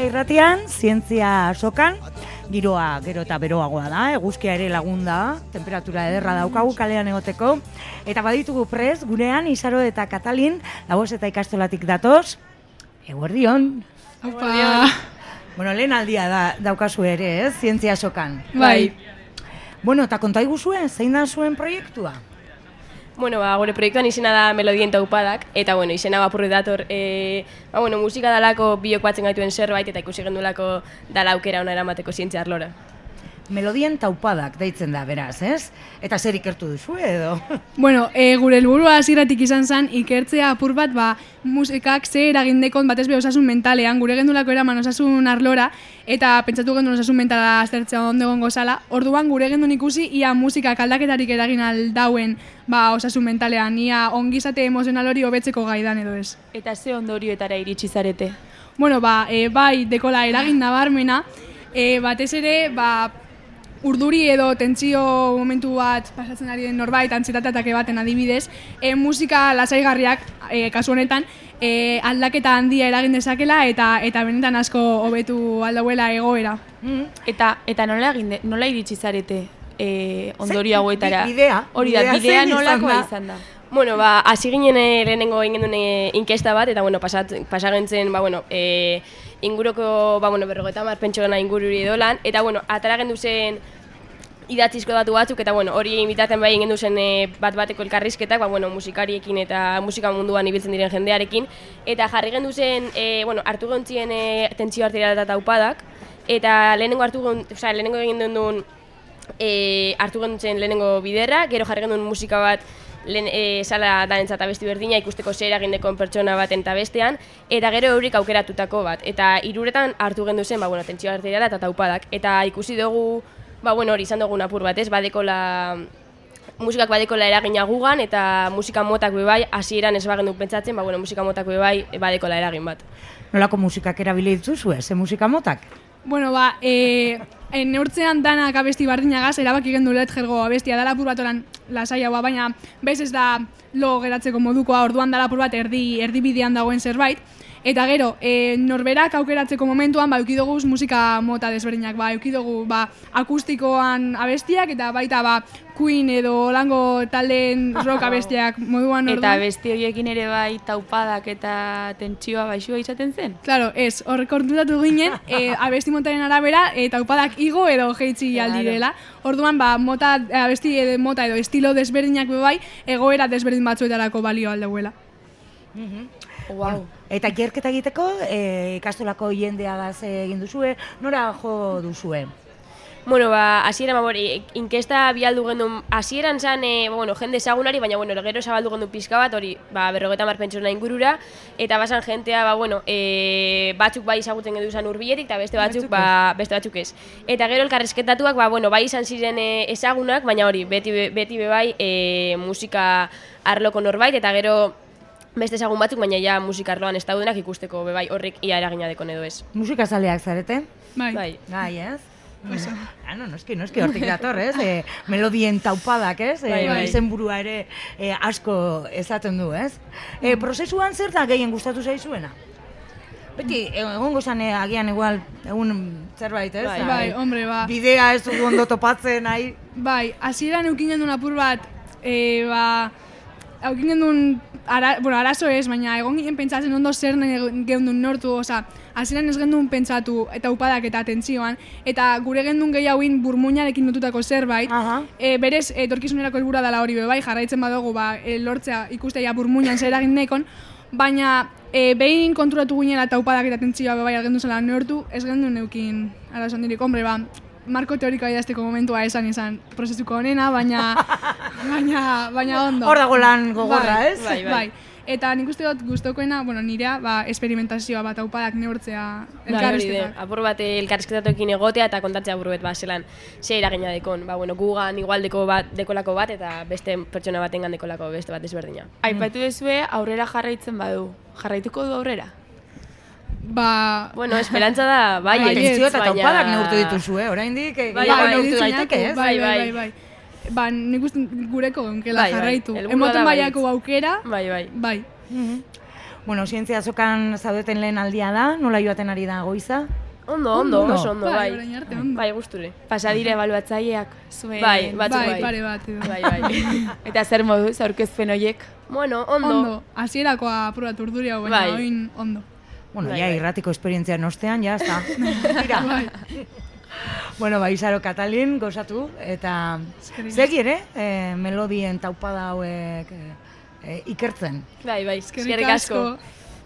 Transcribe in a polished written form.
Irratian, zientzia sokan, giroa gero eta beroagoa da, eguzkia ere lagun da, temperatura ederra daukagu kalean egoteko, eta baditugu prest, gurean, Isaro eta Katalin, Laboz eta ikastolatik datoz, eguerdion. Opa! Bueno, lehen aldia daukazu ere, zientzia sokan. Bai. Bueno, eta konta iguzuen, zein da zuen proiektua? Bueno, gure proiektuan izena da Melodien Taupadak, eta bueno, izena apurri dator, musika dalako biok batzen gaituen zerbait, eta ikusi gendulako dala aukera ona eramateko zientzia arlora. Melodien Taupadak deitzen da, beraz, ez? Eta zer ikertu duzu edo? Bueno, gure helburua hasieratik izan zen ikertzea apur bat, musikak ze eragindekon batez be osasun mentalean, gure gendulako eraman osasun arlora, eta pentsatu gendun osasun mentala aztertzea ondo egongo zala. Orduan gure gendun ikusi ia musikak aldaketarik eragin aldauen osasun mentalean, ia ongizate emozional hori hobetzeko gaidan edo ez. Eta ze ondorioetara iritsi zarete? Bueno, bai, dekola eragin nabarmena, batez ere, urduri edo tentsio momentu bat pasatzen ari den norbait, antsietateak baten adibidez, musika lasaigarriak, kasu honetan, aldaketa handia eragin dezakela eta benetan asko hobetu aldauela egoera. Eta nola iritsi zarete ondorio hauetara? Bidea. Hori da, bidea nolakoa izan da? Bueno, hasi ginen lehenengo egin duen inkesta bat, eta pasagentzen, inguruko, 50 pentsogena ingururi edolan, eta atara gendu zen idatzizko datu batzuk, eta hori imitaten bai gendu zen bat-bateko elkarrizketak, musikariekin eta musika munduan ibiltzen diren jendearekin, eta jarri gendu zen, hartu gontzien tentsio arteriala eta taupadak, eta lehenengo egin duen hartu gendu zen lehenengo biderra, gero jarri gendu musika bat sala danentzat abesti berdina ikusteko zer eragindekon pertsona baten eta bestean, eta gero eurik aukeratutako bat. Eta hiruretan hartu gendu zen, tentsio arteriala eta taupadak. Eta ikusi dugu, hori izan dugun apur bat, ez? Musikak badekola eragina gugan, eta musika motak bai, hasieran ez bagendu pentsatzen, musika motak bai badekola eragin bat. Nolako musikak erabili dituzu, ze musika motak? Bueno, neurtzean danak abesti bardinagaz, erabaki gendu Ledgergo abestia dala apur bat oran lasaiagoa, baina bez ez da lo geratzeko modukoa, orduan dala apur bat erdibidean dagoen zerbait. Eta gero, norberak aukeratzeko momentuan eukidoguz musika mota desberdinak, eukidoguz akustikoan abestiak eta baita Queen edo lango taldeen rock abestiak moduan orduan. Eta abesti horiekin ere bai taupadak eta tentsioa baixua izaten zen? Claro, ez, horrek orduratu ginen, abesti montaren arabera, taupadak igo edo jeitzi aldirela. Orduan, abesti mota edo estilo desberdinak bai, egoera desberdin batzuetarako balio aldauela. Wow. Eta ikerketa egiteko, ikastolako jendeagaz egin duzue, nora jo duzue? Bueno, hasieran inkesta bialdu gendun, hasieran zan, jende ezagunari, baina gero zabaldu gendun pizka bat, hori, 50 pentsona ingurura, eta basan jentea, batzuk bai ezagutzen gendu zan hurbiletik, eta beste batzuk ez. Eta gero elkarrezketatuak, bai izan ziren ezagunak, baina hori, beti bai musika arloko norbait, eta gero beste ezagun batzuk, baina ja musika arloan ez daudenak ikusteko bai horrek ia eragina dekon edo ez. Musika zaleak zarete? Bai. Gai, ez? Noski hortik dator, ez? Melodien Taupadak, ez? Izenburua ere asko ezaten du, ez? Prozesuan zer da gehien gustatu zaizuena? Beti, egongo zan agian igual egun zerbait, ez? Bai, hombre, Bidea ez dugu ondo topatzen, nahi? Bai, hasieran eukin gendun apur bat, eukin gendun, arazo ez, baina egon ginen pentsatzen ondo zer gendun nortu, hasieran ez gendun pentsatu eta upadak eta tentsioan, eta gure gendun gehiagoin burmuinarekin notutako zerbait, berez, etorkizunerako helburua dela hori bai, jarraitzen badugu, lortzea ikustea burmuinan zer egin nekon, baina behin konturatu ginen eta upadak eta tentsioa bai gendun zela nortu, ez gendun eukin arazo handirik, hombre, marko teorikoa idazteko momentua izan prozesuko honena, baina ondo. Hor dago lan gogorra, ez? Bai. Eta nik uste dut gustokoena, nirea, esperimentazioa bat aupadak neurtzea elkarrizketak. Apur bat elkarrizketatuekin egotea eta kontatzea apur bat, zelan, ze eragina dekon. Gugan igual dekolako bat eta beste pertsona batengan dekolako beste bat ezberdina. Aipatu duzue aurrera jarraitzen badu. Jarraituko du aurrera? Esperantza da, bai, tentsio eta taupadak neurtu dituzu, oraindik neurtu daiteke, ez? Bai. Nik uste gureko genkela jarraitu. Emoten baiako aukera. Bai. Bueno, zientzia azokan zaudeten lehen aldia da, nola joaten ari da goiza? Ondo, oso ondo, bai. Orain arte, ondo. Bai, gusture. Pasa dire ebaluatzaileak zuen. Bai, batzuk Bai, bai. pare bat. edo. Bai. Eta zer moduz aurkezpen horiek? Bueno, ondo. Ondo, hasierakoa aprobatu urduri hau, baina Bai. oin ondo. Bueno, Bai, ja, bai. irratiko esperientzian ostean, ja, está. Tira. Bai. Bueno, Izaro Katalin, gozatu, eta Eskerrik segi ere, melodien taupada hauek ikertzen. Bai, Eskerrik asko.